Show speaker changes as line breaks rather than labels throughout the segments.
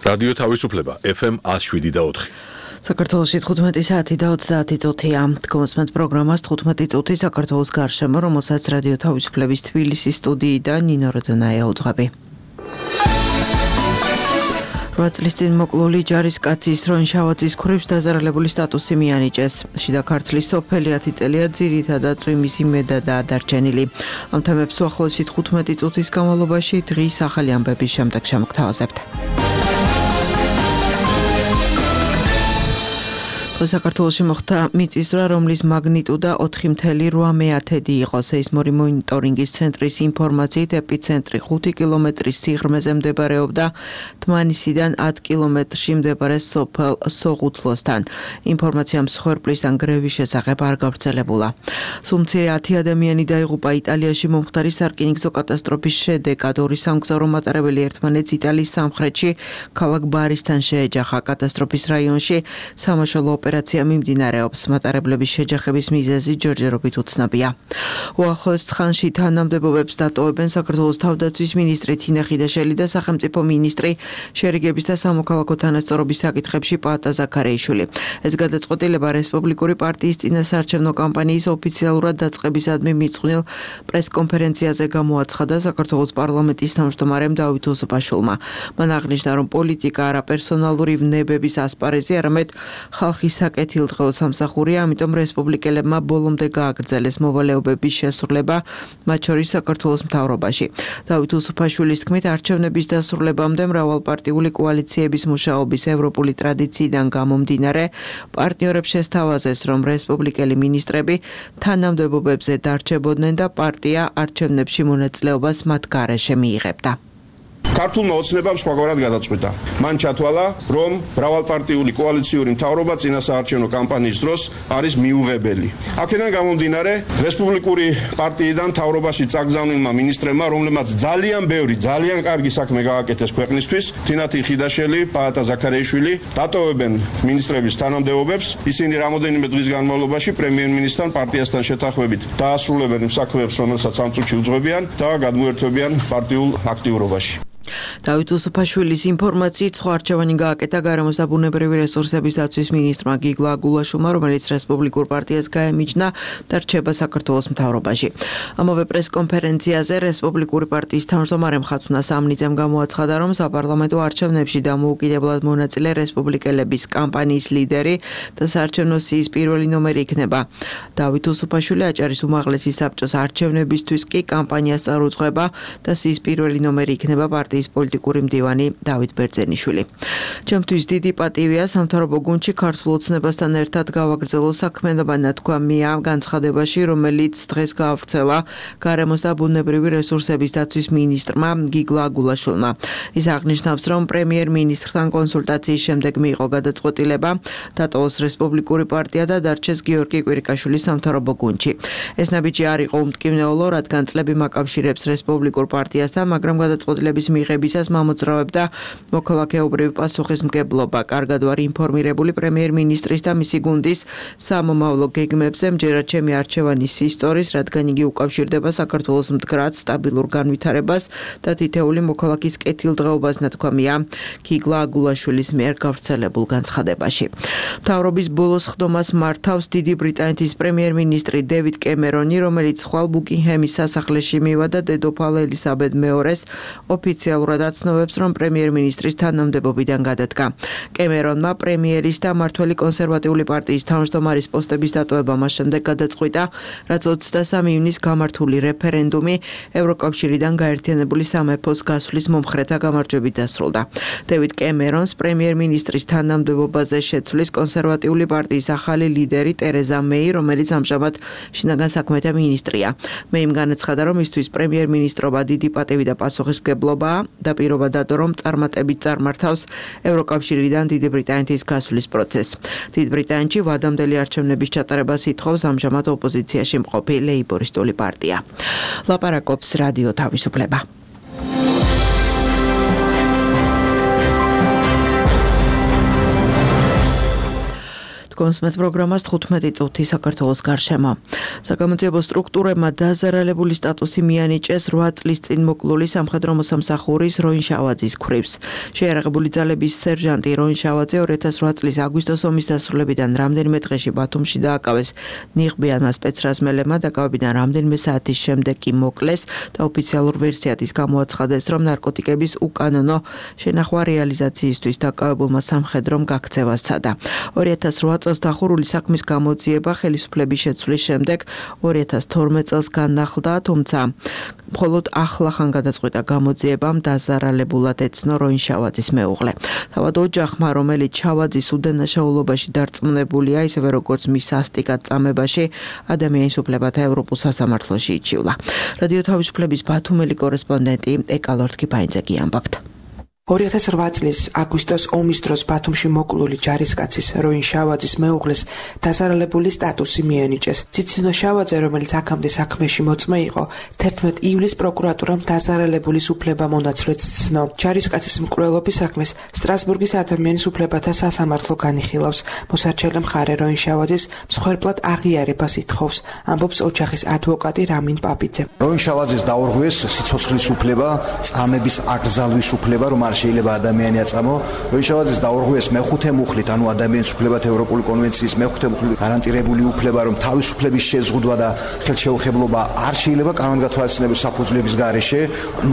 რადიო თავისუფლება FM 107.4.
საქართველოში 15 საათი და 30 წუთია. გმოსმენთ პროგრამას 15 წუთი საქართველოს გარშემო, რომელსაც რადიო თავისუფლების თბილისის სტუდიიდან ნინო როდონაია უძღვები. 8 წლის წინ მოკლული ჯარისკაცის რონშავაძის ქურებს დაზარალებული სტატუსი მიანიჭეს. შიდა ქართლის სოფელი 10 წელია ძირითადად წვიმის იმედადაა დარჩენილი. ამ თემებს უახლოესი 15 წუთის განმავლობაში დღის ახალი ამბების შემდეგ შემოგთავაზებთ. საქართველოში მოხდა მიწისძვრა, რომლის მაგნიტუდა 4,8 იყო. სეისმური მონიტორინგის ცენტრის ინფორმაციით ეპიცენტრი 5 კილომეტრის სიღრმეზე მდებარეობდა თმანისიდან 10 კილომეტრში მდებარე სოფელ სოღუთლოსთან. ინფორმაცია მსხვერპლისგან გრევის შესახებ არ გავრცელებულა. სულ მცირე 10 ადამიანი დაიღუპა იტალიაში მომხდარი სარკინიგზო კატასტროფის შედეგად. ორი სამგზავრო მატარებელი ერთმანეთს იტალიის სამხრეთში ქალაქ ბარისთან შეეჯახა. კატასტროფის რაიონში სამაშველო ოპერაცია მიმდინარეობს. მატარებლების შეჯახების მიზეზი ჯერჯერობით უცნობია. უახლოეს ხანში თანამდებობებს დატოვებენ საქართველოს თავდაცვის მინისტრი თინა ხიდაშელი და სახელმწიფო მინისტრი შერიგების და სამოქალაქო თანასწორობის საკითხებში პაატა ზაქარეიშვილი. ეს გადაწყვეტილება რესპუბლიკური პარტიის წინასაარჩევნო კამპანიის ოფიციალურად დაწყებისადმი მიწყვნილ პრესკონფერენციაზე გამოაცხადა საქართველოს პარლამენტის თავმჯდომარემ დავით უსუფაშვილმა. მან აღნიშნა, რომ პოლიტიკა არა პერსონალური ვნებების ასპარეზი, არამედ ხალხის საკეთილდღეო სამსახურია, ამიტომ რესპუბლიკელებმა ბოლომდე გააგრძელეს მოვალეობების შესრულება, მათ შორის საქართველოს მთავრობაში. დავით უსუფაშვილის თქმით, არჩევნების დასრულებამდე მრავალპარტიული კოალიციების მუშაობის ევროპული ტრადიციიდან გამომდინარე, პარტნიორებს შესთავაზეს, რომ რესპუბლიკელი მინისტრები თანამდებობებზე დარჩებოდნენ და პარტია არჩევნებში მონაწილეობას მათ გარეშე მიიღებდა.
ქართულმა ოცნებამ სხვაგვარად გადაწყვიტა. მან ჩათვალა, რომ მრავალპარტიული კოალიციური მთავრობა წინასაარჩევნო კამპანიის დროს არის მიუღებელი. აქედან გამომდინარე, რესპუბლიკური პარტიიდან მთავრობაში წაგზავნილმა მინისტრებმა, რომლებმაც ძალიან ბევრი, ძალიან კარგი საქმე გააკეთეს ქვეყნისთვის, თინათი ხიდაშელი, პაატა ზაქარეიშვილი, დატოვებენ მინისტრების თანამდებობებს. ისინი რამოდენიმე დღის განმავლობაში პრემიერ-მინისტრთან პარტიასთან შეთანხმებით დაასრულებენ იმ საქმეებს, რომელსაც ამ წუთში უძღვებიან და გადმოერთვებიან პარტიულ აქტიურობაში.
დავით უსუფაშვილის ინფორმაციით სხვა არჩევანი გააკეთა გარემოს და ბუნებრივი რესურსების დაცვის მინისტრმა გიგლა აგულაშვილმა, რომელიც რესპუბლიკურ პარტიას გაემიჯნა და რჩება საქართველოს მთავრობაში. ამავე პრესკონფერენციაზე რესპუბლიკური პარტიის თავმჯდომარე ხათუნა სამნიძემ გამოაცხადა, რომ საპარლამენტო არჩევნებში დამოუკიდებლად მონაწილე რესპუბლიკელების კამპანიის ლიდერი და საარჩევნო სიის პირველი ნომერი იქნება. დავით უსუფაშვილი აჭარის უმაღლესი საბჭოს არჩევნებისთვის კი კამპანიას წარუძღვება და სიის პირველი ნომერი იქნება პარტიის პოლიტიკური მდივანი დავით ბერძენიშვილი. ჩემთვის დიდი პატივია სამთავრობო გუნდში ქართულ ოცნებასთან ერთად გავაგრძელო საქმიანობა ნათქვამია განცხადებაში, რომელიც დღეს გაავრცელა გარემოს და ბუნებრივი რესურსების დაცვის მინისტრმა გიგლა აგულაშვილმა. ის აღნიშნავს, რომ პრემიერ-მინისტრთან კონსულტაციის შემდეგ მიიღო გადაწყვეტილება დატოვოს რესპუბლიკური პარტია და დარჩეს გიორგი კვირიკაშვილი სამთავრობო გუნდში. ეს ნაბიჯი არ იყო უმტკივნეულო, რადგან წლები მაკავშირებს რესპუბლიკურ პარტიასთან, მაგრამ გადაწყვეტილების მიღებისას მამოძრავებდა მოქალაქეობრივი პასუხისმგებლობა. კარგად ვარ ინფორმირებული პრემიერ-მინისტრის და მისი გუნდის სამომავლო გეგმებზე, მჯერად ჩემი არჩევანი სისწორის, რადგან იგი უკავშირდება საქართველოს მდგრად სტაბილურ განვითარებას და თითეული მოქალაქის კეთილდღეობას, ნათქვამია გიგლა აგულაშვილის მიერ გავრცელებულ განცხადებაში. მთავრობის ბოლოს ხდომას მართავს დიდი ბრიტანეთის პრემიერ-მინისტრი დევიდ კემერონი, რომელიც ხვალ ბუკინგჰემის სასახლეში მივა და დედოფალ ელისაბედ მეორეს ოფიციალურად აცნობებს, რომ პრემიერ-მინისტრის თანამდებობიდან გადადგა. კემერონმა პრემიერის და მმართველი კონსერვატიული პარტიის თავმჯდომარის პოსტების დატოვება მას შემდეგ გადაწყვიტა, რაც 23 ივნისს გამართული რეფერენდუმი ევროკავშირიდან გაერთიანებული სამეფოს გასვლის მომხრეთა გამარჯვებით დასრულდა. დევიდ კემერონს პრემიერ-მინისტრის თანამდებობაზე შეცვლის კონსერვატიული პარტიის ახალი ლიდერი ტერეზა მეი, რომელიც ამჟამად შინაგან საქმეთა მინისტრია. მეიმ განაცხადა, რომ მისთვის პრემიერ-მინისტრობა დიდი პატივი და პასუხისმგებლობა და პირობა დადო, რომ წარმატებით წარმართავს ევროკავშირიდან დიდი ბრიტანეთის გასვლის პროცესს. დიდ ბრიტანეთში ვადამდელი არჩევნების ჩატარებას ითხოვს ამჟამად ოპოზიციაში მყოფი ლეიბორისტული პარტია. ლაპარაკობს რადიო თავისუფლება. კონსმეთ პროგრამას 15 წუთი საქართველოს გარშემო. საგამოძიებო სტრუქტურებმა დაზარალებული სტატუსი მიანიჭეს 8 წლის წინ მოკლული სამხედრო მოსამსახურის როინ შავაძის ქვრივს. შეიარაღებული ძალების სერჟანტი როინ შავაძე 2008 წლის აგვისტოს ომის დასრულებიდან რამდენიმე დღეში ბათუმში დააკავეს. ნიღბიანმა სპეცრაზმელებმა დაკავებიდან რამდენიმე საათის შემდეგ კი მოკლეს და ოფიციალურ ვერსიად ის გამოაცხადეს, რომ ნარკოტიკების უკანონო შენახვა რეალიზაციისთვის დაკავებულმა სამხედრომ გაქცევა სცადა. 2008 წელს დახურული საქმის გამოძიება ხელისუფლების შეცვლის შემდეგ 2012 წელს განახლდა, თუმცა მხოლოდ ახლახან გადაწყვიტა გამოძიებამ დაზარალებულად ეცნო როინ შავაძის მეუღლე. თავად ოჯახმა, რომელიც შავაძის უდანაშაულობაში დარწმუნებულია, ისევე როგორც მის სასტიკად წამებაში, ადამიანის უფლებათა ევროპულ სასამართლოში იჩივლა. რადიო თავისუფლების ბათუმელი კორესპონდენტი ეკალორთ კიფაინძე ამბობთ.
2008 წლის აგვისტოს ომის დროს ბათუმში მოკლული ჯარისკაცის როინ შავაძის მეუღლეს დაზარალებული სტატუსი მიანიჭეს. ციცინო შავაძე, რომელიც აქამდე საქმეში მოწმე იყო, 11 ივლისს პროკურატურამ დაზარალებულის უფლებამონაცვლეც ცნო. ჯარისკაცის მკვლელობის საქმეს სტრასბურგის ადამიანის უფლებათა სასამართლო განიხილავს. მოსარჩელე მხარე როინ შავაძის მსხვერპლად აღიარებას ითხოვს, ამბობს ოჯახის ადვოკატი რამინ პაპიძე.
როინ შავაძეს დაურღვიეს სიცოცხლის უფლება, წამების აკრძალვის უფლება, რომ შეიძლება ადამიანი აწამო. როინ შავაძეს დაურღვიეს მეხუთე მუხლით, ანუ ადამიანის უფლებათა ევროპული კონვენციის მეხუთე მუხლით გარანტირებული უფლება, რომ თავისუფლების შეზღუდვა და ხელშეუხებლობა არ შეიძლება კანონგათვალისწინების საფუძვლების გარეშე,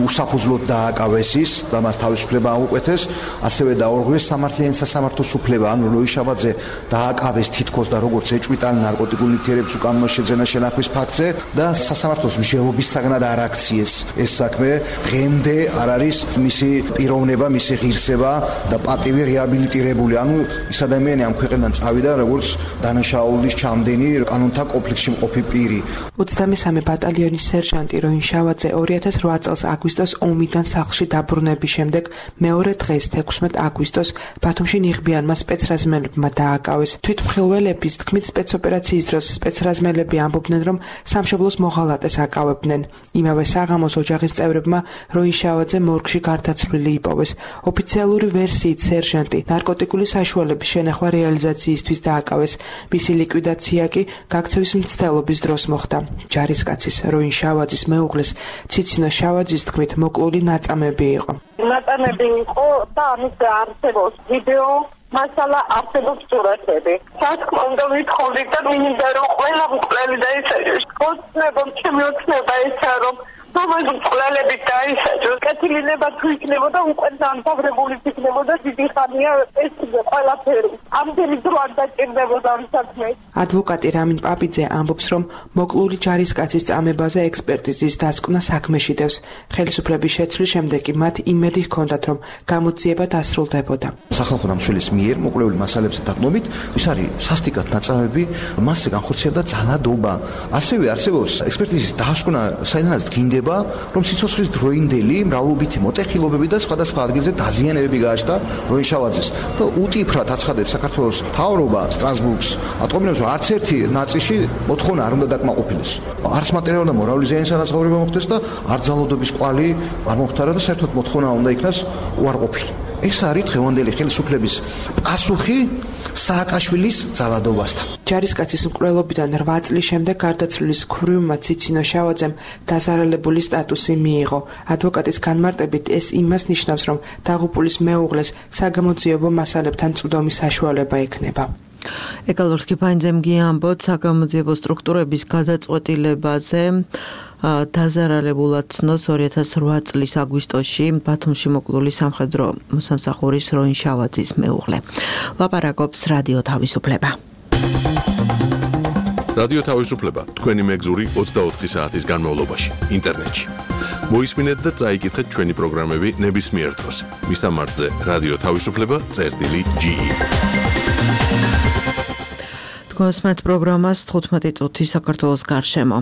უსაფუძვლოდ დააკავეს ის და მას თავისუფლება აუკვეთეს. ასევე დაურღვიეს სამართლიანი სასამართლოს უფლება, ანუ როინ შავაძე დააკავეს თითქოს და როგორც ეჭვიტანა ნარკოტიკულ ნივთიერების უკანონო შეძენა შენახვის ფაქტზე და სასამართლოს მსჯელობის საგნად არ აქციეს ეს საქმე. დღემდე არ არის მისი პიროვნება, მისი ღირსება და პატივი რეაბილიტირებული, ანუ ის ადამიანი ამ ქვეყნიდან წავიდა როგორც დანაშაულის ჩამდენი კანონთა კონფლიქტში მყოფი პირი.
23 ბატალიონის სერჟანტი როინ შავაძე 2008 წელს აგვისტოს ომიდან სახლში დაბრუნების შემდეგ მეორე დღეს 16 აგვისტოს ბათუმში ნიღბიანმა სპეცრაზმელებმა დააკავეს. თვითმხილველების თქმით სპეცოპერაციის დროს სპეცრაზმელები ამბობდნენ, რომ სამშობლოს მოღალატეს აკავებდნენ. იმავე საღამოს ოჯახის წევრებმა როინ შავაძე მორგში გარდაცვლილი იპოვეს. ოფიციალური ვერსიით სერჟანტი ნარკოტიკული საშუალების შენახვა რეალიზაციისთვის დააკავეს. მისი ლიკვიდაცია კი გაქცევის მცდელობის დროს მოხდა. ჯარისკაცის როინ შავაძის მეუღლეს ციცინო შავაძის თქმით მოკლული ნაწამები იყო.
ნაწამები იყო და ამის არსებობს ვიდეო, მასალა არსებობს სურათები. სასკმ უნდა ვითხოვდით და მინდა რომ ყველა მკვლელი დაისაჯოს. ოცნებამ ჩემი ოცნება ესაა, რომ მომენ მკვლელები დაისაჯოს. კეთილინება თუ იქნებოდა უკვე დამთავრებული იქნებოდა დიდი ხანია ეს ყველაფერი. ამდენი დრო არ დაჭირდებოდა ამ საქმეს.
ადვოკატი რამინ პაპიძე ამბობს, რომ მოკლული ჯარისკაცის წამებაზე ექსპერტიზის დასკვნა საქმეში დევს. ხელისუფლების შეცვლის შემდეგ კი მათ იმედი ჰქონდათ, რომ გამოძიება დასრულდებოდა.
სახალხო დამცველის მიერ მოკლეული მასალებზე დაყნობით, ის არის სასტიკად ნაწამები, მასზე განხორციელდა ძალადობა. ასევე არსებობს ექსპერტიზის დასკვნა, საიდანაც დგინდება, რომ სიცოცხლის დროინდელი მრავლობითი მოტეხილობები და სხვადასხვა ადგილზე დაზიანებები გააჩნდა როინ შავაძეს. და უტიფრად აცხადებს საქართველოს მთავრობა სტრასბურგს, ატყობინებს, რომ არც ერთი ნაწილში მოთხოვნა არ უნდა დაკმაყოფილდეს. არც მატერიალური და მორალური ზიანის ანაზღაურება მოხდეს და არ ძალადობის კვალი არ მოხდარა და საერთოდ მოთხოვნა უნდა იქნას უარყოფილი. ეს არის დღევანდელი ხელისუფლების პასუხი სააკაშვილის ძალადობასთან.
ჯარისკაცის მკვლელობიდან 8 წლის შემდეგ გარდაცვლილის ქვრივმა ციცინო შავაძემ დაზარალებული სტატუსი მიიღო. ადვოკატის განმარტებით ეს იმას ნიშნავს, რომ დაღუპულის მეუღლეს საგამოძიებო მასალებთან წვდომის საშუალება ექნება.
ეკალორთ კიფაინძემ ამბობთ საგამოძიებო სტრუქტურების გადაწყვეტილებაზე დაზარალებულად ცნოს 2008 წლის აგვისტოში ბათუმში მოკლული სამხედრო მოსამსახურის როინ შავაძის მეუღლე. ლაპარაკობს რადიო თავისუფლება.
რადიო თავისუფლება თქვენი მეგზური 24 საათის განმავლობაში ინტერნეტში. მოისმინეთ და წაიკითხეთ ჩვენი პროგრამები ნებისმიერ დროს. მისამართზე რადიო თავისუფლება.ge
Თქვენს პროგრამას 15 წუთი საქართველოს გარშემო.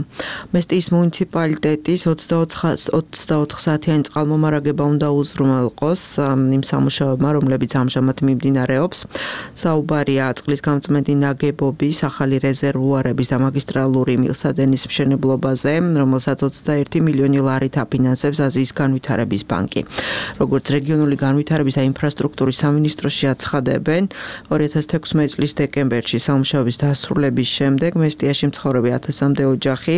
მესტიის მუნიციპალიტეტის 24 საათიანი წყალმომარაგება უნდა უზრუნველყოს იმ სამუშაოებმა, რომლებიც ამჟამად მიმდინარეობს. საუბარია წყლის გამწმენდი ნაგებობის, ახალი რეზერვუარების და მაგისტრალური მილსადენის მშენებლობაზე, რომელსაც 21 მილიონი ლარით აფინანსებს აზიის განვითარების ბანკი. როგორც რეგიონული განვითარების და ინფრასტრუქტურის სამინისტროში აცხადებენ, 2016 წლის დეკემბერში სამუშაოების დასრულების შემდეგ მესტიაში მცხოვრები 1000-მდე ოჯახი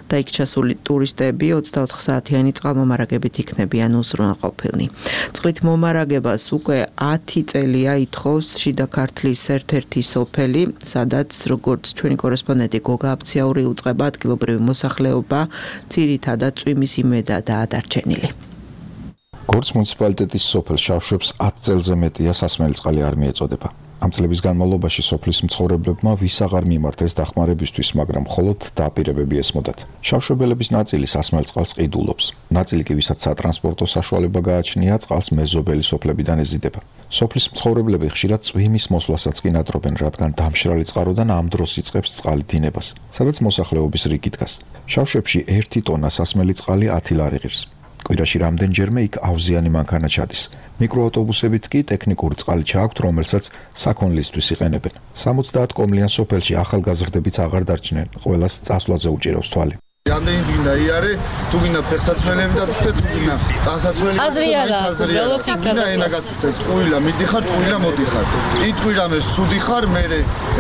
და იქ ჩასული ტურისტები 24 საათიანი წყალმომარაგებით იქნებიან უზრუნველყოფილნი. წყლით მომარაგებას უკვე 10 წელია ითხოვს შიდა ქართლის ერთ-ერთი სოფელი, სადაც როგორც ჩვენი კორესპონდენტი გოგა აბციაური უწყება ადგილობრივი მოსახლეობა ძირითადად წვიმის იმედადაა დარჩენილი.
გორს მუნიციპალიტეტის სოფელ შავშვებს 10 წელზე მეტია სასმელი წყალი არ მიეწოდება. ამ წლების განმავლობაში სოფლის მცხოვრებლებმა ვის აღარ მიმართეს დახმარებისთვის, მაგრამ მხოლოდ დაპირებები ესმოდათ. შავშვებელების ნაწილი სასმელ წყალს ყიდულობს. ნაწილი კი ვისაც სატრანსპორტო საშუალება გააჩნია, წყალს მეზობელი სოფლებიდან ეზიდება. სოფლის მცხოვრებლები ხშირად წვიმის მოსვლასაც კი ნატრობენ, რადგან დამშრალი წყაროდან ამ დროს იწყებს წყალი დინებას, სადაც მოსახლეობის რიგი დგას. შავშვებში 1 ტონა სასმელი წყალი 10 ლარი ღირს. კვირაში რამდენჯერმე იქ ავზიანი მანქანა ჩადის. მიკროავტობუსებით კი ტექნიკური წყალი ჩააქვთ, რომელსაც საქონლისთვის იყენებენ. 70 კომლიან სოფელში ახალგაზრდებიც აღარ დარჩნენ, ყველას წასვლაზე უჭირავს თვალი.
Რამდენი გინდა იარე, თუ გინდა ფეხსაცმელები დაწვდეთ, თუ გინდა ტანსაცმელები, გინდა ენა გაწვდეთ, ყვილა მიდიხარ, ყვილა მოდიხარ. იტყვი რამე სუდი ხარ, მე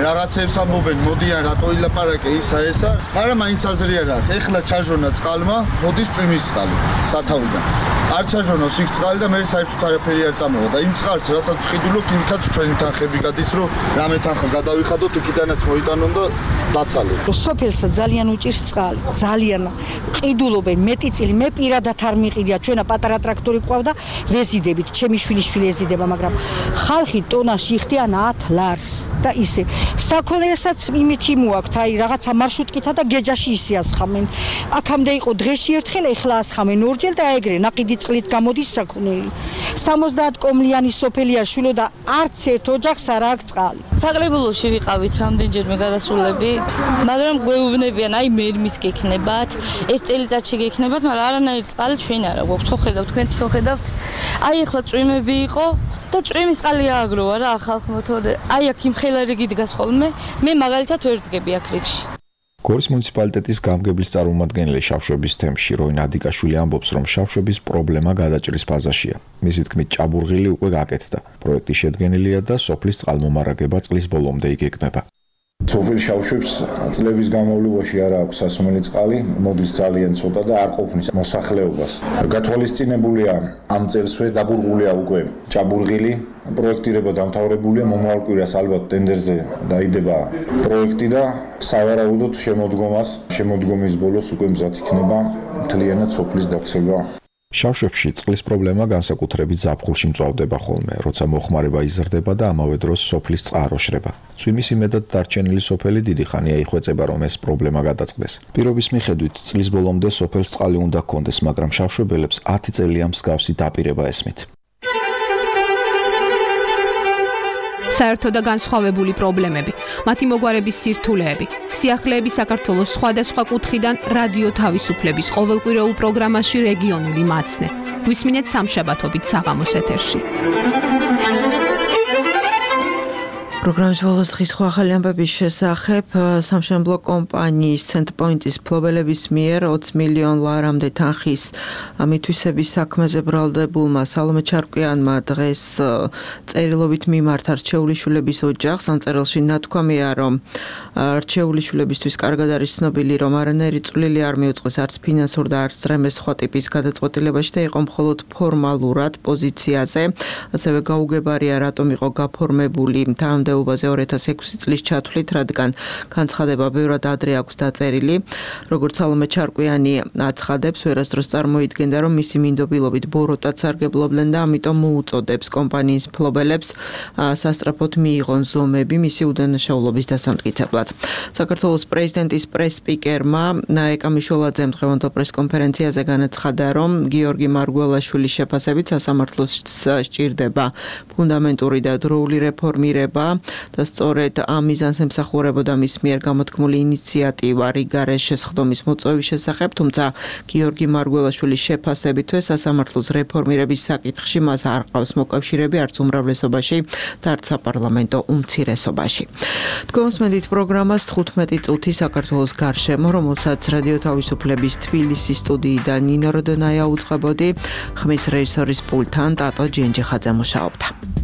რაღაცებს ამბობენ, მოდიან რატო ილაპარაკე ისა ესა, მაგრამ მაინც აზრი არა. ეხლა ჩაჟონა წყალმა, მოდის წვიმის წყალი სათავიდან. არ ჩაჟონოს იქ წყალი და მე საერთოდ არაფერი არ წამოვა და იმ წყალს რასაც ვყიდულობთ, იმითაც ჩვენი თანხები გადის, რომ რამე თანხა გადავიხადოთ, იქიდანაც მოიტანონ და დაცალოთ.
სოფელსა ძალიან უჭირს წყალი. ძალიან ყიდულობენ მეტი წილი მე პირადად არ მიყიდია ჩვენა პატარა ტრაქტორი ყავდა ვეზიდებით ჩემი შვილი ეზიდება მაგრამ ხალხი ტონაში იხდიან 10 ლარს და ისე საქონელსაც იმითი მოაქვთ აი რაღაცა მარშრუტკითა და გეჯაში ისე ასხამენ აქამდე იყო დღეში ერთხელ ეხლა ასხამენ ორჯერ და ეგრე ნაყიდი წყლით გამოდის საქონელი 70 კომლიანი სოფელია შვილო და არც ერთ ოჯახს არ აქვს წყალი
საკრებულოში ვიყავით რამდენჯერმე გადასულები მაგრამ გვეუბნებიან აი მერმის გექნება ერთ წელიწადში გექნებათ, მაგრამ არანაირი წყალი ჩვენ არა გვაქვს. ხო ხედავთ, თქვენ თვითონ ხედავთ. აი ახლა წვიმები იყო და წვიმის წყალი ააგროვა რა ხალხმა თორე. აი აქ იმ ხელარიგი დგას ხოლმე. მე მაგალითად ვერ ვდგები აქ რიგში.
გორის მუნიციპალიტეტის გამგებლის წარმომადგენელი შავშვების თემში როინ ადიკაშვილი ამბობს, რომ შავშვების პრობლემა გადაჭრის ფაზაშია. მისი თქმით, ჭაბურღილი უკვე გაკეთდა. პროექტი შედგენილია და სოფლის წყალმომარაგება წლის ბოლომდე იგეგმება.
სოფელ შავშვებს წლების განმავლობაში არ აქვს სასმელი წყალი, მოდის ძალიან ცოტა და არ ყოფნის მოსახლეობას. გათვალისწინებულია ამ წელსვე დაბურღულია უკვე ჭაბურღილი, პროექტირება დამთავრებულია, მომავალ კვირას ალბათ ტენდერზე დაიდება პროექტი და სავარაუდოდ შემოდგომის ბოლოს უკვე მზად იქნება მთლიანად სოფლის დაქცევა.
შავშვებში წყლის პრობლემა განსაკუთრებით ზაფხულში მწვავდება ხოლმე, როცა მოხმარება იზრდება და ამავე დროს სოფლის წყარო შრება. წვიმის იმედად დარჩენილი სოფელი დიდი ხანია იხვეწება, რომ ეს პრობლემა გადაწყდეს. პირობის მიხედვით წლის ბოლომდე სოფელს წყალი უნდა ჰქონდეს, მაგრამ შავშვებელებს 10 წელია მსგავსი დაპირება ესმით.
საერთო და განსხვავებული პრობლემები, მათი მოგვარების სირთულეები, სიახლეები საქართველოს სხვადასხვა კუთხიდან რადიო თავისუფლების ყოველკვირეულ პროგრამაში რეგიონული მაცნე. გვისმინეთ სამშაბათობით საღამოს ეთერში.
პროგრამის ბოლოს დღის სხვა ახალი ამბების შესახებ სამშენებლო კომპანიის Centpoint-ის მფლობელების მიერ 20 მილიონ ლარამდე თანხის მითვისების საქმეზე ბრალდებულმა სალომე ჩარკვიანმა დღეს წერილობით მიმართა რჩეული შვილების ოჯახს. ამ წერილში ნათქვამია, რომ რჩეული შვილებისთვის კარგად არის ცნობილი, რომ არანაირი წვლილი არ მიუძღვის არც ფინანსურ და არც რამე სხვა ტიპის გადაწყვეტილებაში და იყო მხოლოდ ფორმალურად პოზიციაზე. ასევე გაუგებარია, რატომ იყო გაფორმებული თანამდებობაზე 2006 წლის ჩათვლით, რადგან განცხადება ბევრად ადრე აქვს დაწერილი. როგორც სალომე ჩარკვიანი აცხადებს, ვერასდროს წარმოიდგენდა, რომ მისი მინდობილობით ბოროტად სარგებლობდნენ და ამიტომ მოუწოდებს კომპანიის მფლობელებს სასწრაფოდ მიიღონ ზომები მისი უდანაშაულობის დასამტკიცებლად. საქართველოს პრეზიდენტის პრეს-სპიკერმა ეკამიშვილაძემ დღევანდელ პრეს-კონფერენციაზე განაცხადა, რომ გიორგი მარგველაშვილის შეფასებით სასამართლოს სჭირდება ფუნდამენტური და დროული რეფორმირება. და სწორედ ამ მიზანს ემსახურებოდა მის მიერ გამოთქმული ინიციატივა რიგარეს შესხდომის მოწვევის შესახებ, თუმცა გიორგი მარგველაშვილის შეფასებითვე სასამართლოს რეფორმირების საკითხში მას არ ყავს მოკავშირეები არც უმრავლესობაში და არც საპარლამენტო უმცირესობაში. თქვენსმენდით პროგრამას 15 წუთი საქართველოს გარშემო, რომელსაც რადიო თავისუფლების თბილისის სტუდიიდან ნინო როდონაია უწყებოდი, ხმის რეჟისორის პულტთან ტატო ჯენჯიხაძე მუშაობდა.